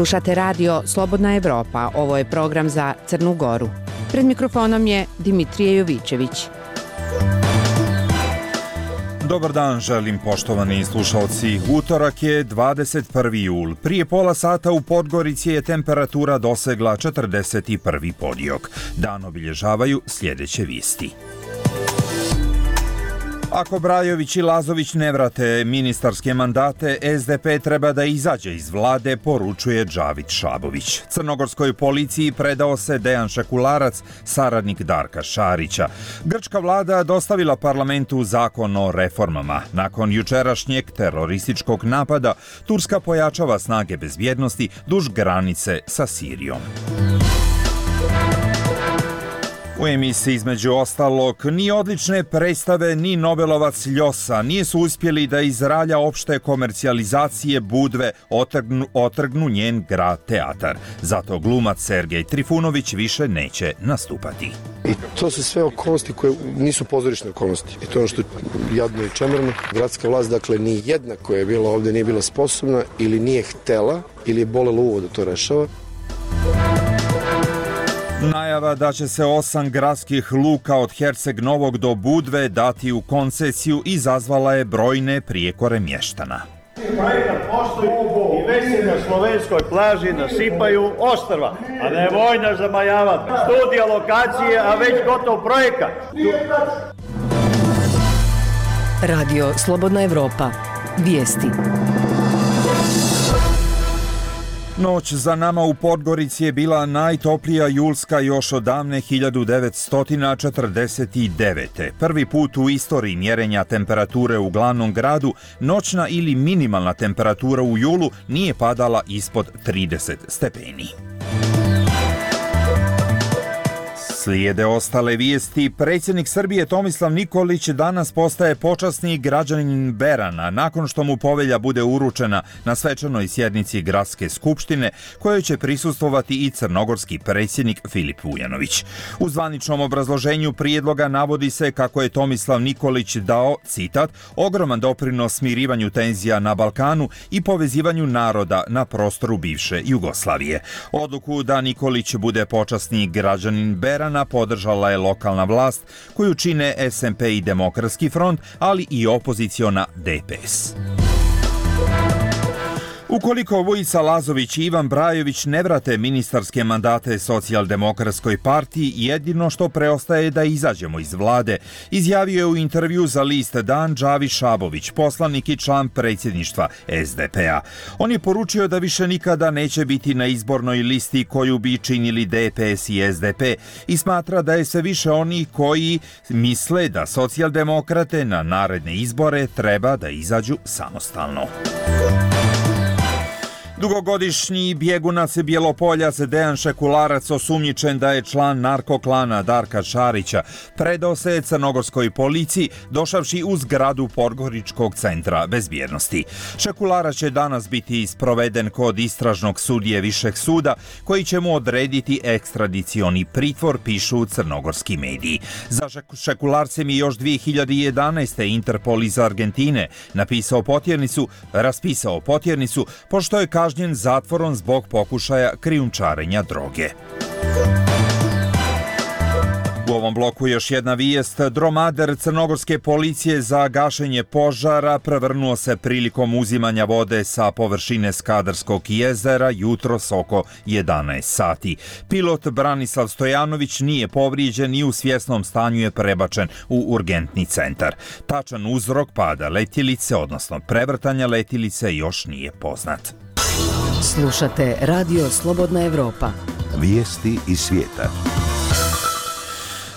Slušate radio Slobodna Evropa, ovo je program za Crnu Goru. Pred mikrofonom je Dimitrije Jovićević. Dobar dan želim poštovani slušalci. Utorak je 21. jul. Prije pola sata u Podgorici je temperatura dosegla 41. podijok. Dan obilježavaju sljedeće vijesti. Ako Brajović i Lazović ne vrate ministarske mandate, SDP treba da izađe iz vlade, poručuje Džavid Šabović. Crnogorskoj policiji predao se Dejan Šekularac, saradnik Darka Šarića. Grčka vlada dostavila parlamentu zakon o reformama. Nakon jučerašnjeg terorističkog napada, Turska pojačava snage bezbjednosti duž granice sa Sirijom. U emisiji između ostalog ni odlične predstave ni Nobelovac Ljosa nisu uspjeli da iz ralja opšte komercijalizacije Budve otrgnu njen grad teatar. Zato glumac Sergej Trifunović više neće nastupati. I to su sve okolnosti koje nisu pozorišne okolnosti. I to je ono što je jadno i čemerno. Gradska vlast, dakle, ni jedna koja je bila ovdje nije bila sposobna ili nije htela ili je bolela uvo da to rešava. Najava da će se 8 gradskih luka od Herceg Novog do Budve dati u koncesiju izazvala je brojne prijekore mještana. Projekat postoji i već se na slovenskoj plaži nasipaju ostrva, a ne vojna zamajavati. Studija lokacije, a već gotov projekat. Radio Slobodna Evropa. Vijesti. Noć za nama u Podgorici je bila najtoplija julska još od davne 1949. Prvi put u istoriji mjerenja temperature u glavnom gradu, noćna ili minimalna temperatura u julu nije padala ispod 30 stepeni. Slijede ostale vijesti. Predsjednik Srbije Tomislav Nikolić danas postaje počasni građanin Berana nakon što mu povelja bude uručena na svečanoj sjednici Gradske skupštine kojoj će prisustvovati i crnogorski predsjednik Filip Vujanović. U zvaničnom obrazloženju prijedloga navodi se kako je Tomislav Nikolić dao, citat, ogroman doprinos smirivanju tenzija na Balkanu i povezivanju naroda na prostoru bivše Jugoslavije. Odluku da Nikolić bude počasni građanin Berana podržala je lokalna vlast koju čine SMP i Demokratski front, ali i opoziciona DPS. Ukoliko Vojica Lazović i Ivan Brajović ne vrate ministarske mandate Socijaldemokratskoj partiji, jedino što preostaje da izađemo iz vlade, izjavio je u intervju za list Dan Džavid Šabović, poslanik i član predsjedništva SDP-a. On je poručio da više nikada neće biti na izbornoj listi koju bi činili DPS i SDP i smatra da je sve više onih koji misle da socijaldemokrate na naredne izbore treba da izađu samostalno. Dugogodišnji bjegunac Bjelopoljac Dejan Šekularac, osumnjičen da je član narkoklana Darka Šarića, predao se crnogorskoj policiji došavši u zgradu Podgoričkog centra bezbjednosti. Šekularac će danas biti sproveden kod istražnog sudije Višeg suda koji će mu odrediti ekstradicioni pritvor, pišu crnogorski mediji. Za Šekularcem je još 2011. Interpol iz Argentine raspisao potjernicu, pošto je kažnjen zatvorom zbog pokušaja krijumčarenja droge. U ovom bloku još jedna vijest. Dromader crnogorske policije za gašenje požara prevrnuo se prilikom uzimanja vode sa površine Skadarskog jezera jutros oko 11 sati. Pilot Branislav Stojanović nije povrijeđen i u svjesnom stanju je prebačen u urgentni centar. Tačan uzrok pada letjelice, odnosno prevrtanja letjelice, još nije poznat. Slušate Radio Slobodna Evropa. Vijesti iz svijeta.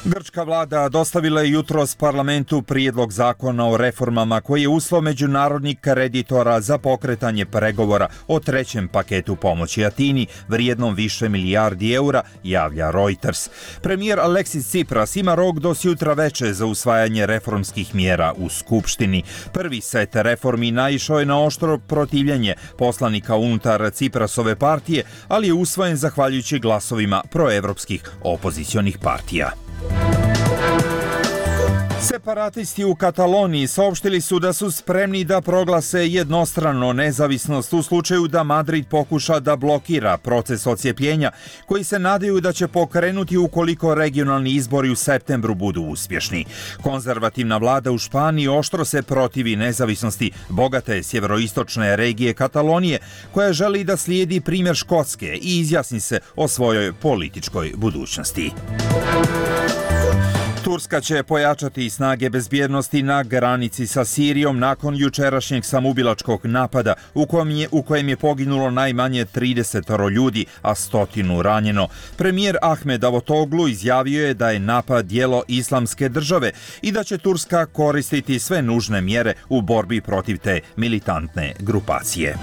Grčka vlada dostavila je jutros parlamentu prijedlog zakona o reformama koji je uslov međunarodnih kreditora za pokretanje pregovora o trećem paketu pomoći Atini vrijednom više milijardi eura, javlja Reuters. Premijer Aleksis Tsipras ima rok do sutra veče za usvajanje reformskih mjera u Skupštini. Prvi set reformi naišao je na oštro protivljenje poslanika unutar Tsiprasove partije, ali je usvojen zahvaljujući glasovima proevropskih opozicionih partija. Separatisti u Kataloniji saopštili su da su spremni da proglase jednostrano nezavisnost u slučaju da Madrid pokuša da blokira proces odcijepljenja, koji se nadaju da će pokrenuti ukoliko regionalni izbori u septembru budu uspješni. Konzervativna vlada u Španiji oštro se protivi nezavisnosti bogate sjeveroistočne regije Katalonije, koja želi da slijedi primjer Škotske i izjasni se o svojoj političkoj budućnosti. Turska će pojačati snage bezbjednosti na granici sa Sirijom nakon jučerašnjeg samoubilačkog napada u kojem je poginulo najmanje 30 ljudi, a 100 ranjeno. Premijer Ahmed Davutoglu izjavio je da je napad djelo Islamske države i da će Turska koristiti sve nužne mjere u borbi protiv te militantne grupacije.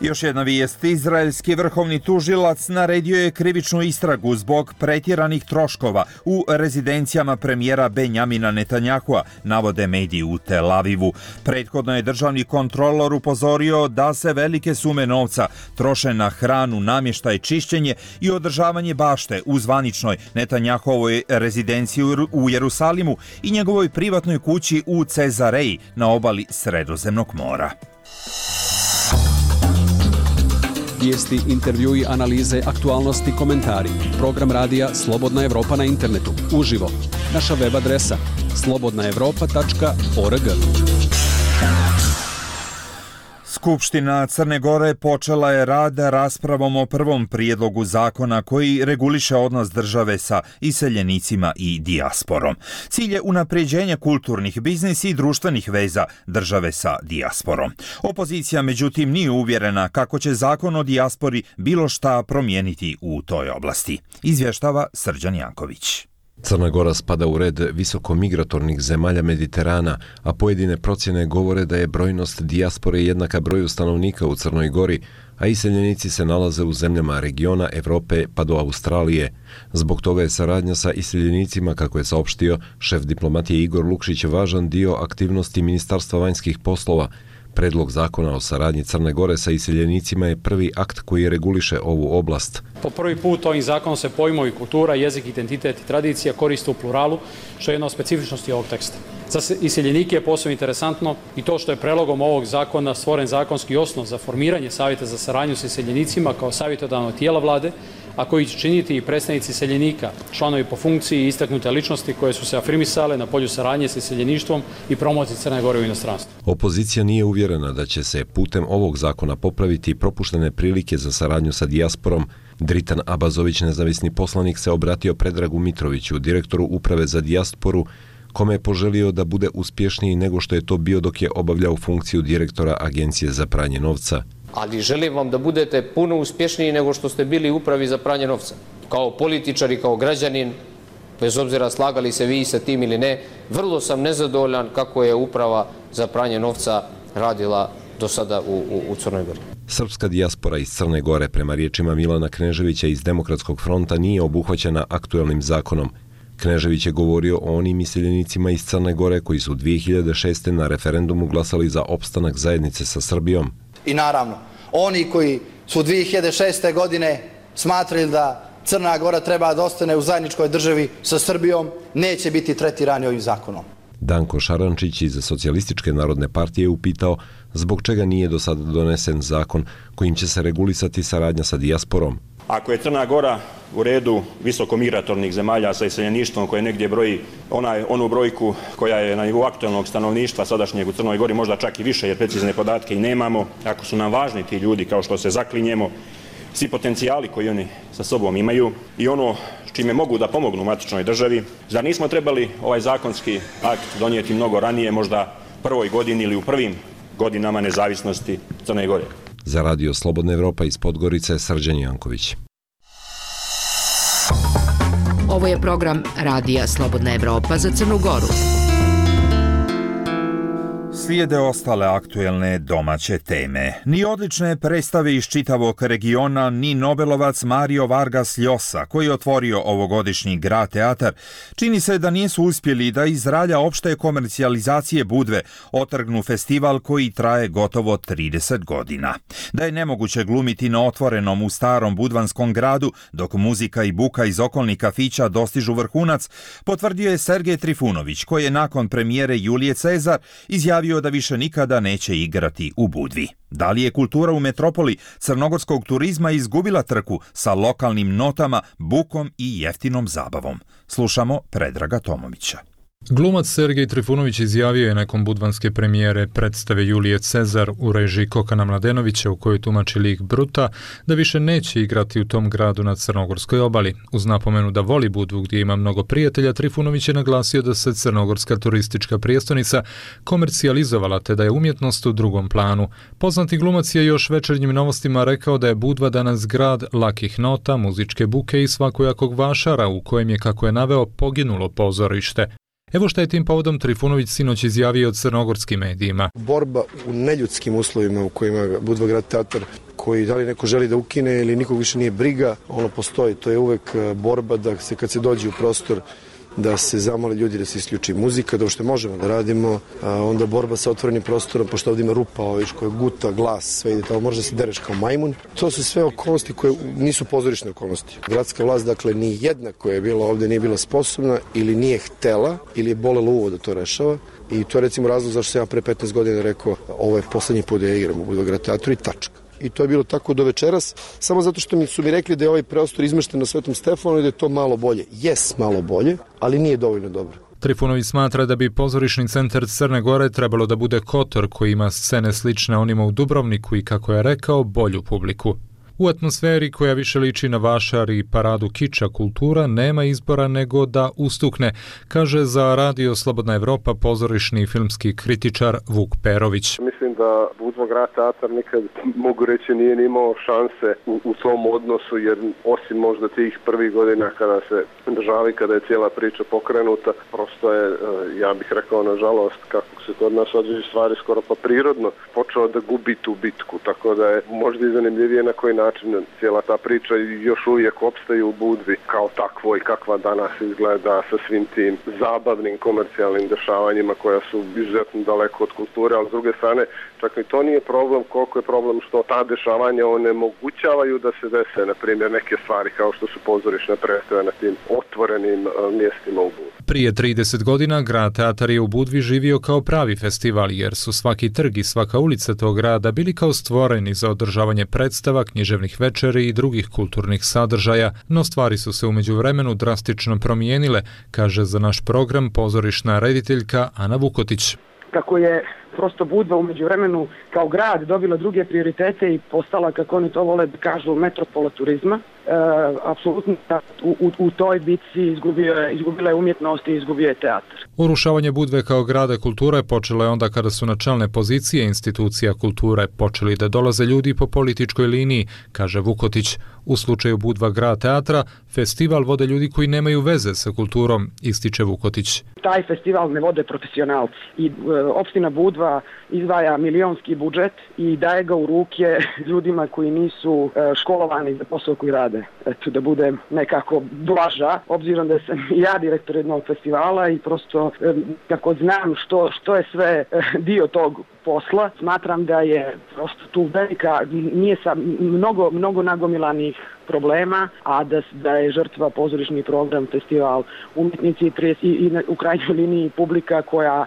Još jedna vijest. Izraelski vrhovni tužilac naredio je krivičnu istragu zbog pretjeranih troškova u rezidencijama premijera Benjamina Netanjahua, navode mediji u Tel Avivu. Prethodno je državni kontrolor upozorio da se velike sume novca troše na hranu, namještaj, čišćenje i održavanje bašte u zvaničnoj Netanjahovoj rezidenciji u Jerusalimu i njegovoj privatnoj kući u Cezareji na obali Sredozemnog mora. Vijesti, intervjui, analize, aktualnosti, komentari. Program radija Slobodna Evropa na internetu. Uživo. Naša web adresa slobodnaevropa.org. Skupština Crne Gore počela je rad raspravom o prvom prijedlogu zakona koji reguliše odnos države sa iseljenicima i dijasporom. Cilj je unapređenje kulturnih, biznis i društvenih veza države sa dijasporom. Opozicija, međutim, nije uvjerena kako će zakon o dijaspori bilo šta promijeniti u toj oblasti. Izvještava Srđan Janković. Crna Gora spada u red visokomigratornih zemalja Mediterana, a pojedine procjene govore da je brojnost dijaspore jednaka broju stanovnika u Crnoj Gori, a iseljenici se nalaze u zemljama regiona Evrope pa do Australije. Zbog toga je saradnja sa iseljenicima, kako je saopštio šef diplomatije Igor Lukšić, važan dio aktivnosti Ministarstva vanjskih poslova. Predlog zakona o saradnji Crne Gore sa iseljenicima je prvi akt koji reguliše ovu oblast. Po prvi put ovim zakonom se pojmovi kultura, jezik, identitet i tradicija koriste u pluralu, što je jedna od specifičnosti ovog teksta. Za iseljenike je posebno interesantno i to što je predlogom ovog zakona stvoren zakonski osnov za formiranje savjeta za saradnju sa iseljenicima kao savjetodavnog tijela vlade, a koji će činiti i predstavnici iseljenika, članovi po funkciji i istaknute ličnosti koje su se afirmisale na polju saradnje sa iseljeništvom i promociji Crne Gore u inostranstvu. Opozicija nije uvjerena da će se putem ovog zakona popraviti propuštene prilike za saradnju sa dijasporom. Dritan Abazović, nezavisni poslanik, se obratio Predragu Mitroviću, direktoru Uprave za dijasporu, kome je poželio da bude uspješniji nego što je to bio dok je obavljao funkciju direktora Agencije za pranje novca. Ali želim vam da budete puno uspješniji nego što ste bili u Upravi za pranje novca. Kao političar i kao građanin, bez obzira slagali se vi sa tim ili ne, vrlo sam nezadovoljan kako je Uprava za pranje novca radila do sada u Crnoj Gori. Srpska dijaspora iz Crne Gore, prema riječima Milana Kneževića iz Demokratskog fronta, nije obuhvaćena aktuelnim zakonom. Knežević je govorio o onim iseljenicima iz Crne Gore koji su 2006. na referendumu glasali za opstanak zajednice sa Srbijom. I naravno, oni koji su 2006. godine smatrali da Crna Gora treba da ostane u zajedničkoj državi sa Srbijom, neće biti tretirani ovim zakonom. Danko Šarančić iz Socijalističke narodne partije je upitao zbog čega nije do sada donesen zakon kojim će se regulisati saradnja sa dijasporom. Ako je Crna Gora u redu visokomigratornih zemalja sa iseljeništvom koje negdje broji onu brojku koja je na nivou aktualnog stanovništva sadašnjeg u Crnoj Gori, možda čak i više jer precizne podatke i nemamo, ako su nam važni ti ljudi kao što se zaklinjemo, svi potencijali koji oni sa sobom imaju i ono čime mogu da pomognu matičnoj državi, zar nismo trebali ovaj zakonski akt donijeti mnogo ranije, možda prvoj godini ili u prvim godinama nezavisnosti Crne Gore? Za Radio Slobodna Evropa iz Podgorice, Srđan Janković. Ovo je program Radija Slobodna Evropa za Crnu Goru. Slijede ostale aktuelne domaće teme. Ni odlične predstave iz čitavog regiona, ni Nobelovac Mario Vargas Llosa, koji je otvorio ovogodišnji Grad teatar, čini se da nisu uspjeli da iz ralja opšte komercijalizacije Budve otrgnu festival koji traje gotovo 30 godina. Da je nemoguće glumiti na otvorenom u starom budvanskom gradu, dok muzika i buka iz okolnih kafića dostižu vrhunac, potvrdio je Sergej Trifunović, koji je nakon premijere Julije Cezar izjavio da više nikada neće igrati u Budvi. Da li je kultura u metropoli crnogorskog turizma izgubila trku sa lokalnim notama, bukom i jeftinom zabavom? Slušamo Predraga Tomovića. Glumac Sergej Trifunović izjavio je nakon budvanske premijere predstave Julije Cezar u režiji Kokana Mladenovića, u kojoj tumači lik Bruta, da više neće igrati u tom gradu na crnogorskoj obali. Uz napomenu da voli Budvu gdje ima mnogo prijatelja, Trifunović je naglasio da se crnogorska turistička prijestolnica komercijalizovala te da je umjetnost u drugom planu. Poznati glumac je još Večernjim novostima rekao da je Budva danas grad lakih nota, muzičke buke i svakojakog vašara u kojem je, kako je naveo, poginulo pozorište. Evo šta je tim povodom Trifunović sinoć izjavio crnogorskim medijima. Borba u neljudskim uslovima u kojima Budva Grad teatar, koji da li neko želi da ukine ili nikog više nije briga, ono postoji. To je uvek borba da se kad se dođe u prostor da se zamole ljudi da se isključi muzika, da uopšte možemo da radimo, onda borba sa otvorenim prostorom, pošto ovdje ima rupa, koja guta, glas, sve ide tamo, može da se dereš kao majmun. To su sve okolnosti koje nisu pozorišne okolnosti. Gradska vlast, dakle, ni jedna koja je bila ovdje nije bila sposobna ili nije htela ili je bolela uvo da to rešava. I to je recimo razlog zašto sam ja pre 15 godina rekao ovo je poslednji put da ja igram u Budva Grad teatru i tačka. I to je bilo tako do večeras, samo zato što su mi rekli da je ovaj prostor izmešten na Svetom Stefanu i da je to malo bolje. Jes, malo bolje, ali nije dovoljno dobro. Trifunović smatra da bi pozorišni centar Crne Gore trebalo da bude Kotor, koji ima scene slične onima u Dubrovniku i, kako je rekao, bolju publiku. U atmosferi koja više liči na vašar i paradu kiča, kultura nema izbora nego da ustukne, kaže za Radio Slobodna Evropa pozorišni filmski kritičar Vuk Perović. Mislim da Budva Grad teatar nikad, mogu reći, nije imao šanse u tom odnosu, jer osim možda tih prvih godina kada se državi, kada je cijela priča pokrenuta, prosto je, ja bih rekao, nažalost, kako se kod nas određe stvari skoro pa prirodno, počeo da gubi tu bitku, tako da je možda i zanimljivije na koji način cijela ta priča još uvijek opstaje u Budvi kao takvo i kakva danas izgleda sa svim tim zabavnim komercijalnim dešavanjima koja su izuzetno daleko od kulture, ali s druge strane čak i to nije problem, koliko je problem što ta dešavanja onemogućavaju da se dese, na primjer, neke stvari kao što su pozorišne predstave na tim otvorenim mjestima u Budvi. Prije 30 godina Grad teatar je u Budvi živio kao pravi festival, jer su svaki trg i svaka ulica tog grada bili kao stvoreni za održavanje predstava, književnih večeri i drugih kulturnih sadržaja, no stvari su se u međuvremenu drastično promijenile, kaže za naš program pozorišna rediteljka Ana Vukotić. Kako je prosto Budva u međuvremenu kao grad dobila druge prioritete i postala, kako oni to vole da kažu, metropola turizma, apsolutno u toj bitci izgubila je umjetnost i izgubio je teatar. Urušavanje Budve kao grada kulture počelo je onda kada su na čelne pozicije institucija kulture počeli da dolaze ljudi po političkoj liniji, kaže Vukotić. U slučaju Budva Grad teatra, festival vode ljudi koji nemaju veze sa kulturom, ističe Vukotić. Taj festival ne vode profesionalci i opština Budva izdvaja milionski budžet i daje ga u ruke ljudima koji nisu školovani za posao koji rade. Eto, da bude nekako blaža, obzirom da sam ja direktor jednog festivala i prosto kako znam što je sve dio tog posla, smatram da je prosto tu velika, nije sa mnogo nagomilanih problema, a da je žrtva pozorišni program, festival, umjetnici i u krajnjoj liniji publika koja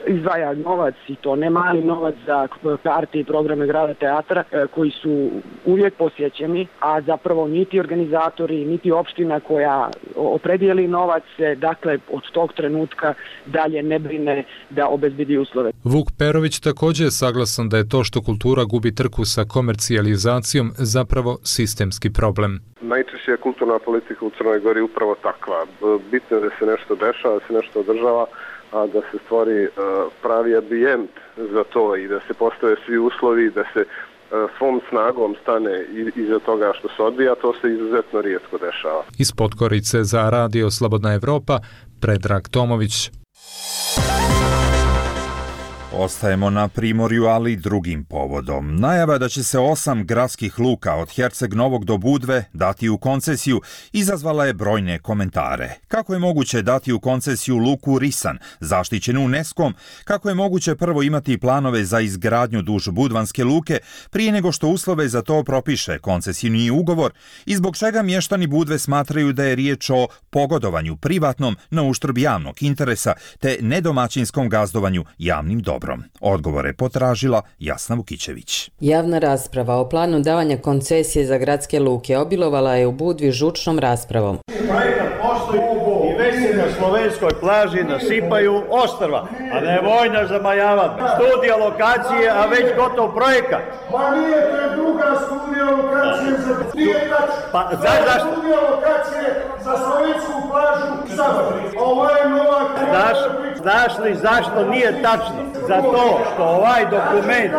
izdvaja novac, i to ne mali novac, za karte i programe Grada teatra koji su uvijek posjećeni, a zapravo niti organizatori, niti opština koja opredijeli novac, dakle od tog trenutka dalje ne brine da obezbedi uslove. Vuk Perović također je saglasan da je to što kultura gubi trku sa komercijalizacijom zapravo sistemski problem. Najčešće je kulturna politika u Crnoj Gori upravo takva. Bitno je da se nešto dešava, da se nešto održava, a da se stvori pravi ambijent za to i da se postave svi uslovi, da se svom snagom stane iza toga što se odvija, to se izuzetno rijetko dešava. Iz Podgorice za Radio Slobodna Evropa, Predrag Tomović. Ostajemo na Primorju, ali drugim povodom. Najava da će se 8 gradskih luka od Herceg Novog do Budve dati u koncesiju izazvala je brojne komentare. Kako je moguće dati u koncesiju luku Risan, zaštićenu UNESCO-om, kako je moguće prvo imati planove za izgradnju duž Budvanske luke prije nego što uslove za to propiše koncesijni ugovor i zbog čega mještani Budve smatraju da je riječ o pogodovanju privatnom na uštrb javnog interesa te nedomaćinskom gazdovanju javnim dobrom. Odgovore je potražila Jasna Vukićević. Javna rasprava o planu davanja koncesije za gradske luke obilovala je u Budvi žučnom raspravom. Projekat postoji i već se na slovenskoj plaži nasipaju ostrva, a ne vojna zamajavati. Studija lokacije, a već gotov projekat. Pa nije, to je druga studija lokacije za zašto? Studija lokacije za slovensku plažu Završi. Ovo je nova... Znaš li zašto nije tačno? Zato što ovaj dokument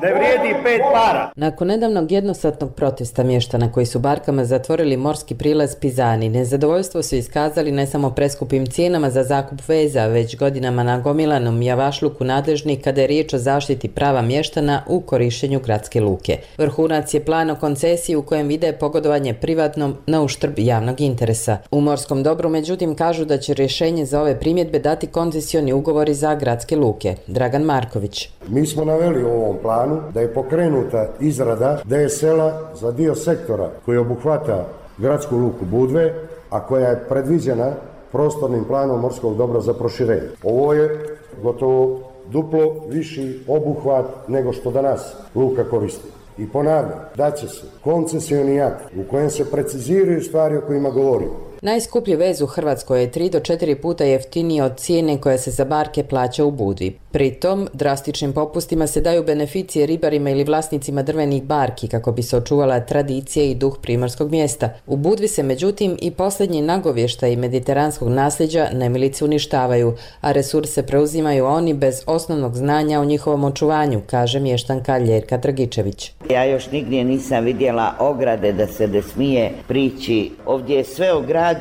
ne vrijedi 5 para. Nakon nedavnog jednosatnog protesta mještana koji su barkama zatvorili morski prilaz Pizani, nezadovoljstvo su iskazali ne samo preskupim cijenama za zakup veza, već godinama nagomilanom javašluku nadležnih kada je riječ o zaštiti prava mještana u korištenju gradske luke. Vrhunac je plan o koncesiji u kojem vide pogodovanje privatnom na uštrb javnog interesa. U morskom dobru, međutim, kažu da će rješenje za ove primjedbe dati koncesioni ugovori za gradske luke. Dragan Marković. Mi smo naveli u ovom planu da je pokrenuta izrada DSL-a za dio sektora koji obuhvata gradsku luku Budve, a koja je predviđena prostornim planom morskog dobra za proširenje. Ovo je gotovo duplo viši obuhvat nego što danas luka koristi. I ponavljam, da će se koncesioni akt u kojem se preciziraju stvari o kojima govorimo. Najskuplji vez u Hrvatskoj je 3 do 4 puta jeftiniji od cijene koja se za barke plaća u Budvi. Pritom, drastičnim popustima se daju beneficije ribarima ili vlasnicima drvenih barki kako bi se očuvala tradicija i duh primorskog mjesta. U Budvi se međutim i posljednji nagovještaji mediteranskog nasljeđa nemilice uništavaju, a resurse preuzimaju oni bez osnovnog znanja o njihovom očuvanju, kaže mještanka Ljerka Dragičević. Ja još nigdje nisam vidjela ograde da se ne smije prići. Ovdje je sve ograđeno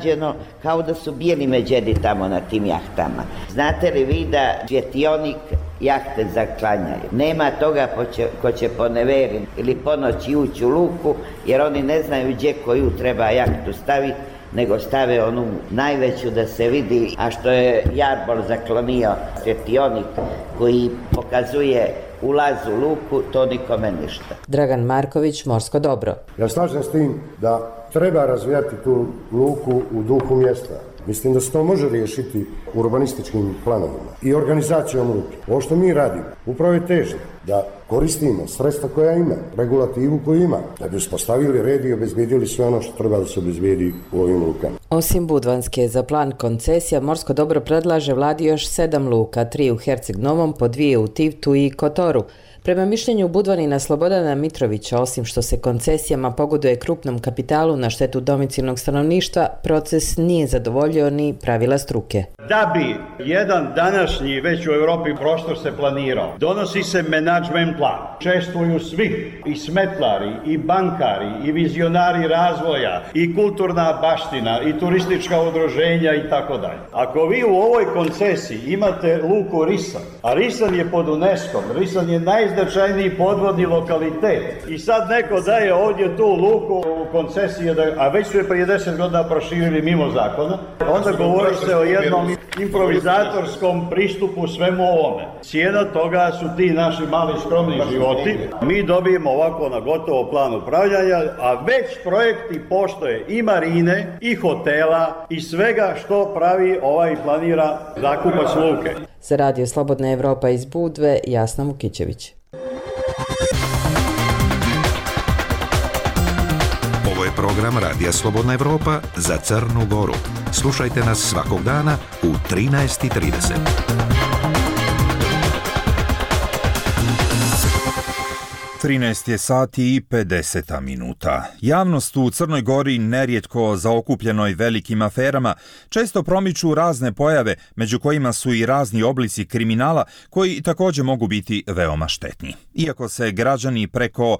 kao da su bijeli međedi tamo na tim jahtama. Znate li vi da svjetionik jahte zaklanjaju? Nema toga ko će po neveri ili po noći ući u luku, jer oni ne znaju gdje koju treba jahtu staviti, nego stave onu najveću da se vidi, a što je Jarbol zaklonio svjetionik koji pokazuje ulaz u luku, to nikome ništa. Dragan Marković, Morsko dobro. Ja slažem s tim da treba razvijati tu luku u duhu mjesta. Mislim da se to može riješiti urbanističkim planovima i organizacijom luke. Ovo što mi radimo, upravo je težnje da koristimo sredstva koja ima, regulativu koju ima, da bi uspostavili red i obezbijedili sve ono što treba da se obezbijedi u ovim lukama. Osim Budvanske, za plan koncesija Morsko dobro predlaže vladi još 7 luka, 3 u Herceg Novom, po 2 u Tivtu i Kotoru. Prema mišljenju Budvanina Slobodana Mitrovića, osim što se koncesijama pogoduje krupnom kapitalu na štetu domicilnog stanovništva, proces nije zadovoljio ni pravila struke. Da bi jedan današnji već u Europi prostor se planirao, donosi se menadžment plan. Čestvuju svi, i smetlari, i bankari, i vizionari razvoja, i kulturna baština, i turistička udruženja i tako dalje. Ako vi u ovoj koncesiji imate luku Risan, a Risan je pod UNESCO-om, Risan je najznačajniji podvodni lokalitet i sad neko daje ovdje tu luku u koncesiji, a već su je prije 10 godina proširili mimo zakona, onda govori se o jednom improvizatorskom pristupu svemu ovome. Cijena toga su ti naši mali skromni životi. Mi dobijemo ovako na gotovo plan upravljanja, a već projekti postoje i marine, i hotela, i svega što pravi ovaj planira zakupac luke. Za Radio Slobodna Evropa iz Budve, Jasna Vukićević. Ovo je program Radija Slobodna Evropa za Crnu Goru. Slušajte nas svakog dana u 13:30. 13 je sati i 50 minuta. Javnost u Crnoj Gori, nerijetko zaokupljenoj velikim aferama, često promiču razne pojave, među kojima su i razni oblici kriminala koji također mogu biti veoma štetni. Iako se građani preko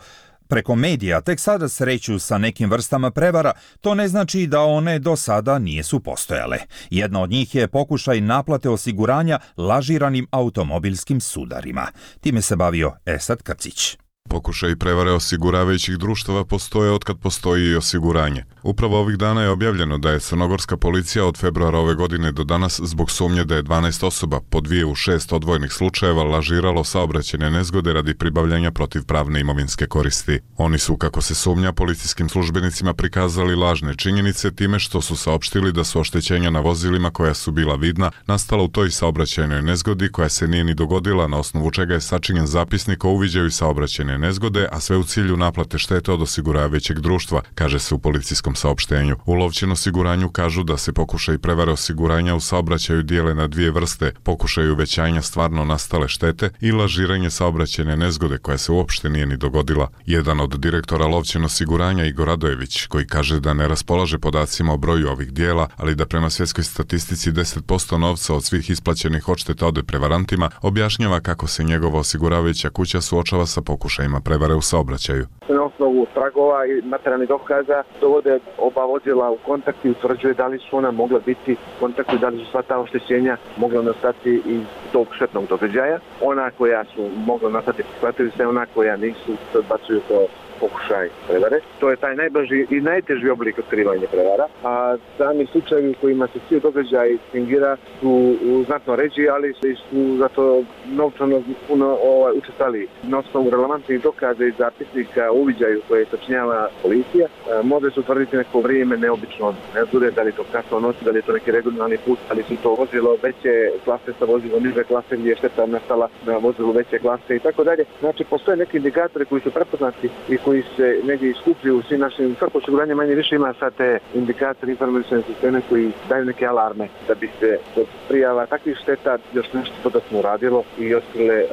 preko medija tek sada sreću sa nekim vrstama prevara, to ne znači da one do sada nisu postojale. Jedna od njih je pokušaj naplate osiguranja lažiranim automobilskim sudarima. Time se bavio Esad Krcić. Pokušaj prevare osiguravajućih društava postoje otkad postoji i osiguranje. Upravo ovih dana je objavljeno da je crnogorska policija od februara ove godine do danas zbog sumnje da je 12 osoba po 2 u 6 odvojenih slučajeva lažiralo saobraćajne nezgode radi pribavljanja protivpravne imovinske koristi. Oni su, kako se sumnja, policijskim službenicima prikazali lažne činjenice time što su saopštili da su oštećenja na vozilima koja su bila vidna nastala u toj saobraćajnoj nezgodi koja se nije ni dogodila, na osnovu čega je sačinjen zapisnik o uviđaju saobraćajne nezgode, a sve u cilju naplate štete od osiguravajućeg društva, kaže se u policijskom saopštenju. U Lovćin osiguranju kažu da se pokušaj prevare osiguranja u saobraćaju dijele na dvije vrste: pokušaj uvećanja stvarno nastale štete i lažiranje saobraćajne nezgode koja se uopšte nije ni dogodila. Jedan od direktora Lovćin osiguranja, Igor Radojević, koji kaže da ne raspolaže podacima o broju ovih dijela, ali da prema svjetskoj statistici 10% novca od svih isplaćenih odšteta ode prevarantima, objašnjava kako se njegova osiguravajuća kuća suočava sa pokušajima prevare u saobraćaju. Na osnovu tragova i materijalnih dokaza dovode oba vozila u kontakt i utvrđuje da li su ona mogla biti u kontaktu, da li su sva ta oštećenja mogla nastati iz tog štetnog događaja. Ona koja su mogla nastati prihvatili se, ona koja nisu se odbacuju kao pokušaj prevare. To je taj najbrži i najteži oblik otkrivanja prevara, a sami slučajevi u kojima se svi događaj fingira su znatno ređi, ali su zato novčano puno učestvali. Na osnovu relevantnih dokaza i zapisnika o uviđaju koje sačinjava policija, može se utvrditi neko vrijeme neobično nezgode, da li to kasno noći, da li je to neki regionalni put, ali su to vozilo veće klase sa vozilom niže klase gdje je šteta nastala na vozilu veće klase i tako dalje. Znači, postoje neki indikatori koji su prepoznati i koji se negdje iskupljuju u svim našim, svako osiguranje manje više ima sad te indikatori, informacijne sisteme koji daju neke alarme da bi se kod prijava takvih šteta još nešto dodatno uradilo i otkrile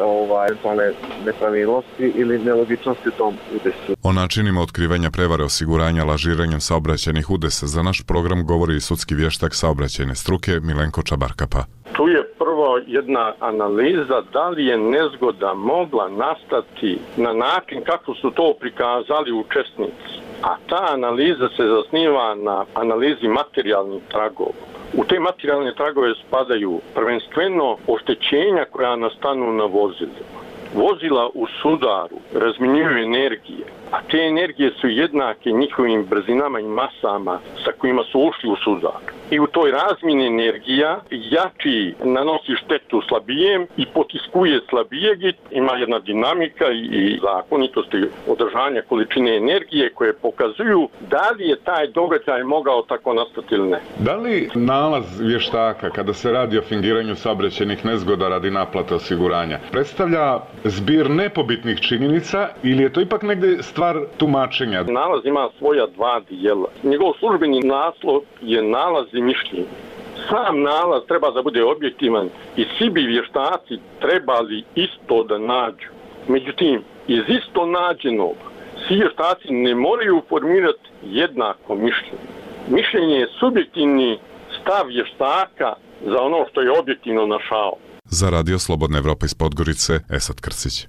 eventualne nepravilnosti ili nelogičnosti u tom udesu. O načinima otkrivanja prevare osiguranja lažiranjem saobraćajnih udesa za naš program govori i sudski vještak saobraćajne struke Milenko Čabarkapa. Tu je prvo jedna analiza da li je nezgoda mogla nastati na način kako su to prikazali učesnici. A ta analiza se zasniva na analizi materijalnih tragova. U te materijalne tragove spadaju prvenstveno oštećenja koja nastanu na vozilima. Vozila u sudaru razmjenjuju energije, a te energije su jednake njihovim brzinama i masama sa kojima su ušli u sudar. I u toj razmjeni energija jači nanosi štetu slabijem i potiskuje slabijeg. Ima jedna dinamika i zakonitosti održanja količine energije koje pokazuju da li je taj događaj mogao tako nastati ili ne. Da li nalaz vještaka kada se radi o fingiranju saobraćajnih nezgoda radi naplate osiguranja predstavlja zbir nepobitnih činjenica ili je to ipak negdje stvar tumačenja? Nalaz ima svoja dva dijela. Njegov službeni naslov je nalaz i mišljenje. Sam nalaz treba da bude objektivan i svi bi vještaci trebali isto da nađu. Međutim, iz isto nađenog svi vještaci ne moraju formirati jednako mišljenje. Mišljenje je subjektivni stav vještaka za ono što je objektivno našao. Za Radio Slobodna Evropa iz Podgorice, Esad Krcić.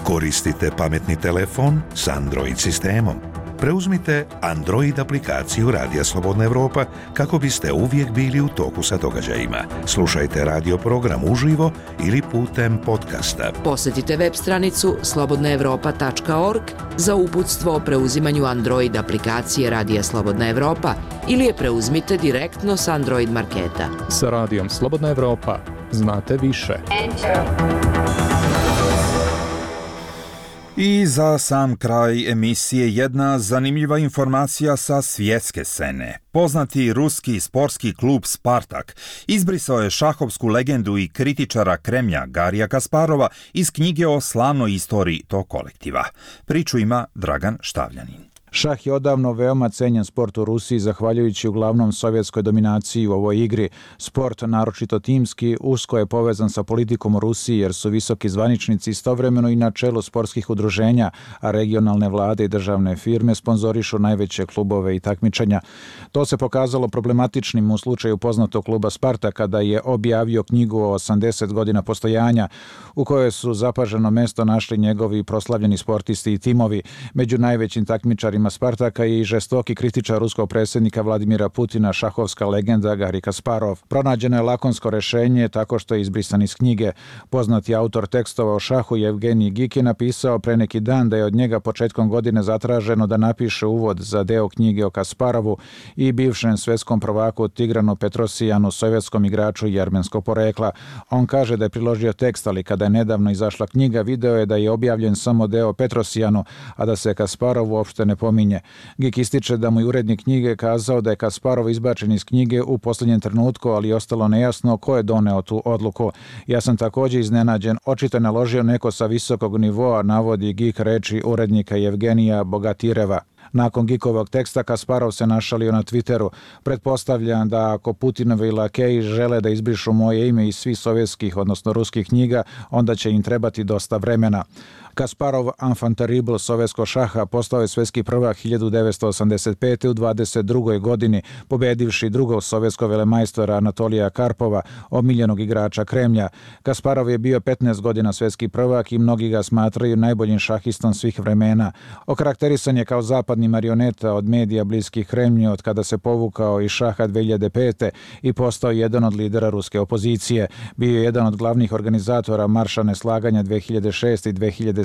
Koristite pametni telefon s Android sistemom. Preuzmite Android aplikaciju Radija Slobodna Evropa kako biste uvijek bili u toku sa događajima. Slušajte radio program uživo ili putem podcasta. Posjetite web stranicu slobodnaevropa.org za uputstvo o preuzimanju Android aplikacije Radija Slobodna Evropa ili je preuzmite direktno s Android marketa. Sa Radijom Slobodna Evropa znate više. I za sam kraj emisije jedna zanimljiva informacija sa svjetske scene. Poznati ruski sportski klub Spartak izbrisao je šahovsku legendu i kritičara Kremlja Garija Kasparova iz knjige o slavnoj istoriji tog kolektiva. Priču ima Dragan Štavljanin. Šah je odavno veoma cenjen sport u Rusiji zahvaljujući uglavnom sovjetskoj dominaciji u ovoj igri. Sport, naročito timski, usko je povezan sa politikom u Rusiji jer su visoki zvaničnici istovremeno i na čelu sportskih udruženja, a regionalne vlade i državne firme sponzorišu najveće klubove i takmičenja. To se pokazalo problematičnim u slučaju poznatog kluba Sparta kada je objavio knjigu o 80 godina postojanja u kojoj su zapaženo mesto našli njegovi proslavljeni sportisti i timovi. Među najvećim takmičarima Spartaka je i žestoki kritičar ruskog predsjednika Vladimira Putina, šahovska legenda Garri Kasparov. Pronađeno je lakonsko rješenje tako što je izbrisan iz knjige. Poznati autor tekstova o šahu Evgenij Gik je napisao pre neki dan da je od njega početkom godine zatraženo da napiše uvod za deo knjige o Kasparovu i bivšem svjetskom prvaku Tigranu Petrosijanu, sovjetskom igraču i armenskog porekla. On kaže da je priložio tekst, ali kada je nedavno izašla knjiga, video je da je objavljen samo deo Petrosijanu, a da se Kasparov uopšte ne pominje. Gik ističe da mu je urednik knjige kazao da je Kasparov izbačen iz knjige u posljednjem trenutku, ali je ostalo nejasno ko je doneo tu odluku. Ja sam također iznenađen, očito je naložio neko sa visokog nivoa, navodi Gik reči urednika Evgenija Bogatireva. Nakon Gikovog teksta Kasparov se našalio na Twitteru. Pretpostavljam da ako Putinovi lakeji žele da izbrišu moje ime iz svih sovjetskih, odnosno ruskih knjiga, onda će im trebati dosta vremena. Kasparov, enfant terrible sovjetskog šaha, postao je svjetski prvak 1985. u 22. godini, pobedivši drugog sovjetskog velemajstora Anatolija Karpova, omiljenog igrača Kremlja. Kasparov je bio 15 godina svjetski prvak i mnogi ga smatraju najboljim šahistom svih vremena. Okarakterisan je kao zapadni marioneta od medija bliskih Kremlju od kada se povukao iz šaha 2005. i postao jedan od lidera ruske opozicije. Bio je jedan od glavnih organizatora marša neslaganja 2006. i 2007.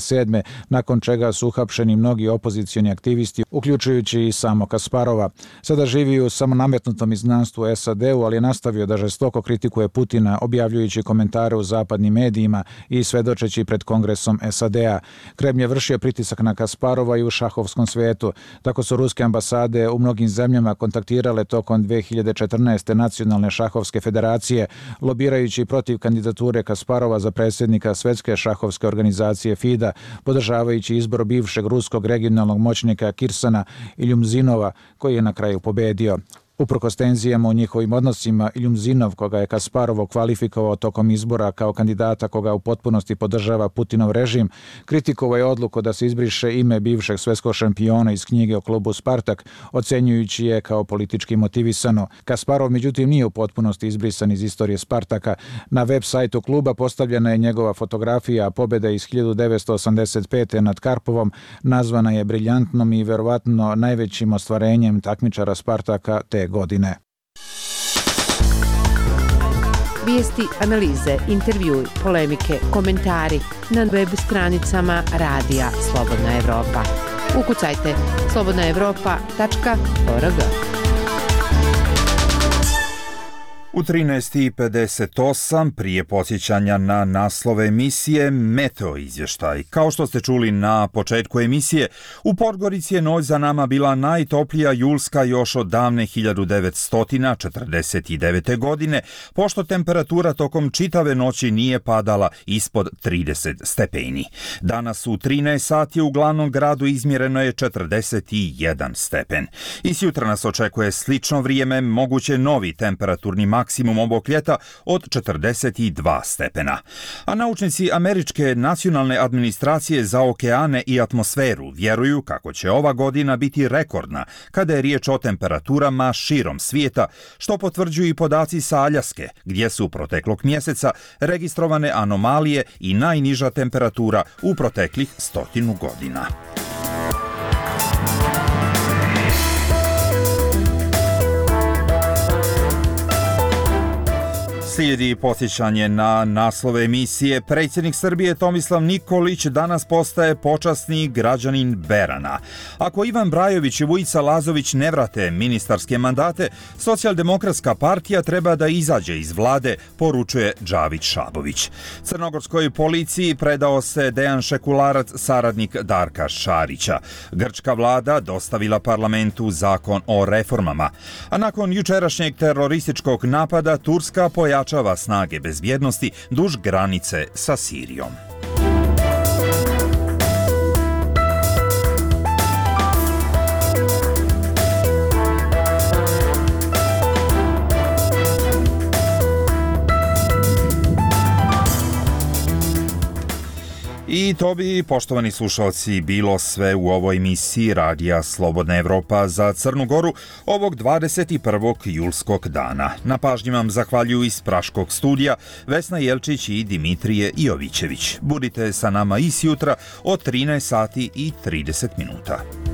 nakon čega su uhapšeni mnogi opozicioni aktivisti, uključujući i samo Kasparova. Sada živi u samonametnutom izgnanstvu SAD-u, ali je nastavio da žestoko kritikuje Putina, objavljujući komentare u zapadnim medijima i svedočeći pred Kongresom SAD-a. Kremlj je vršio pritisak na Kasparova i u šahovskom svijetu. Tako su ruske ambasade u mnogim zemljama kontaktirale tokom 2014. Nacionalne šahovske federacije, lobirajući protiv kandidature Kasparova za predsjednika Svjetske šahovske organizacije FIDA, podržavajući izbor bivšeg ruskog regionalnog moćnika Kirsana Iljumzinova, koji je na kraju pobedio. Uprkos tenzijama u njihovim odnosima, Iljumzinov, koga je Kasparov kvalifikovao tokom izbora kao kandidata koga u potpunosti podržava Putinov režim, kritikovao je odluku da se izbriše ime bivšeg svjetskog šampiona iz knjige o klubu Spartak, ocenjujući je kao politički motivisano. Kasparov međutim nije u potpunosti izbrisan iz istorije Spartaka. Na web sajtu kluba postavljena je njegova fotografija, a pobjeda iz 1985. nad Karpovom nazvana je briljantnom i verovatno najvećim ostvarenjem takmičara Spartaka te godine. Vijesti, analize, intervjui, polemike, komentari na web stranicama Radija Slobodna Evropa. Ukucajte slobodnaevropa.org. U 13:58 prije podsjećanja na naslove emisije Meteo izvještaj. Kao što ste čuli na početku emisije, u Podgorici je noć za nama bila najtoplija julska još od davne 1949. godine, pošto temperatura tokom čitave noći nije padala ispod 30 stepeni. Danas u 13 sati u glavnom gradu izmjereno je 41 stepen. I sjutra nas očekuje slično vrijeme, moguće novi temperaturni maksimum ovog ljeta od 42 stepena. A naučnici Američke nacionalne administracije za okeane i atmosferu vjeruju kako će ova godina biti rekordna kada je riječ o temperaturama širom svijeta, što potvrđuju i podaci sa Aljaske, gdje su proteklog mjeseca registrovane anomalije i najniža temperatura u proteklih 100 godina. Slijedi podsjećanje na naslove emisije. Predsjednik Srbije Tomislav Nikolić danas postaje počasni građanin Berana. Ako Ivan Brajović i Vujica Lazović ne vrate ministarske mandate, Socijaldemokratska partija treba da izađe iz vlade, poručuje Džavić Šabović. Crnogorskoj policiji predao se Dejan Šekularac, saradnik Darka Šarića. Grčka vlada dostavila parlamentu zakon o reformama. A nakon jučerašnjeg terorističkog napada, Turska pojačava snage bezbjednosti duž granice sa Sirijom. to bi, poštovani slušalci, bilo sve u ovoj emisiji Radija Slobodna Evropa za Crnu Goru ovog 21. julskog dana. Na pažnji vam zahvaljuju iz Praškog studija Vesna Jelčić i Dimitrije Jovićević. Budite sa nama i sjutra od 13 sati i 30 minuta.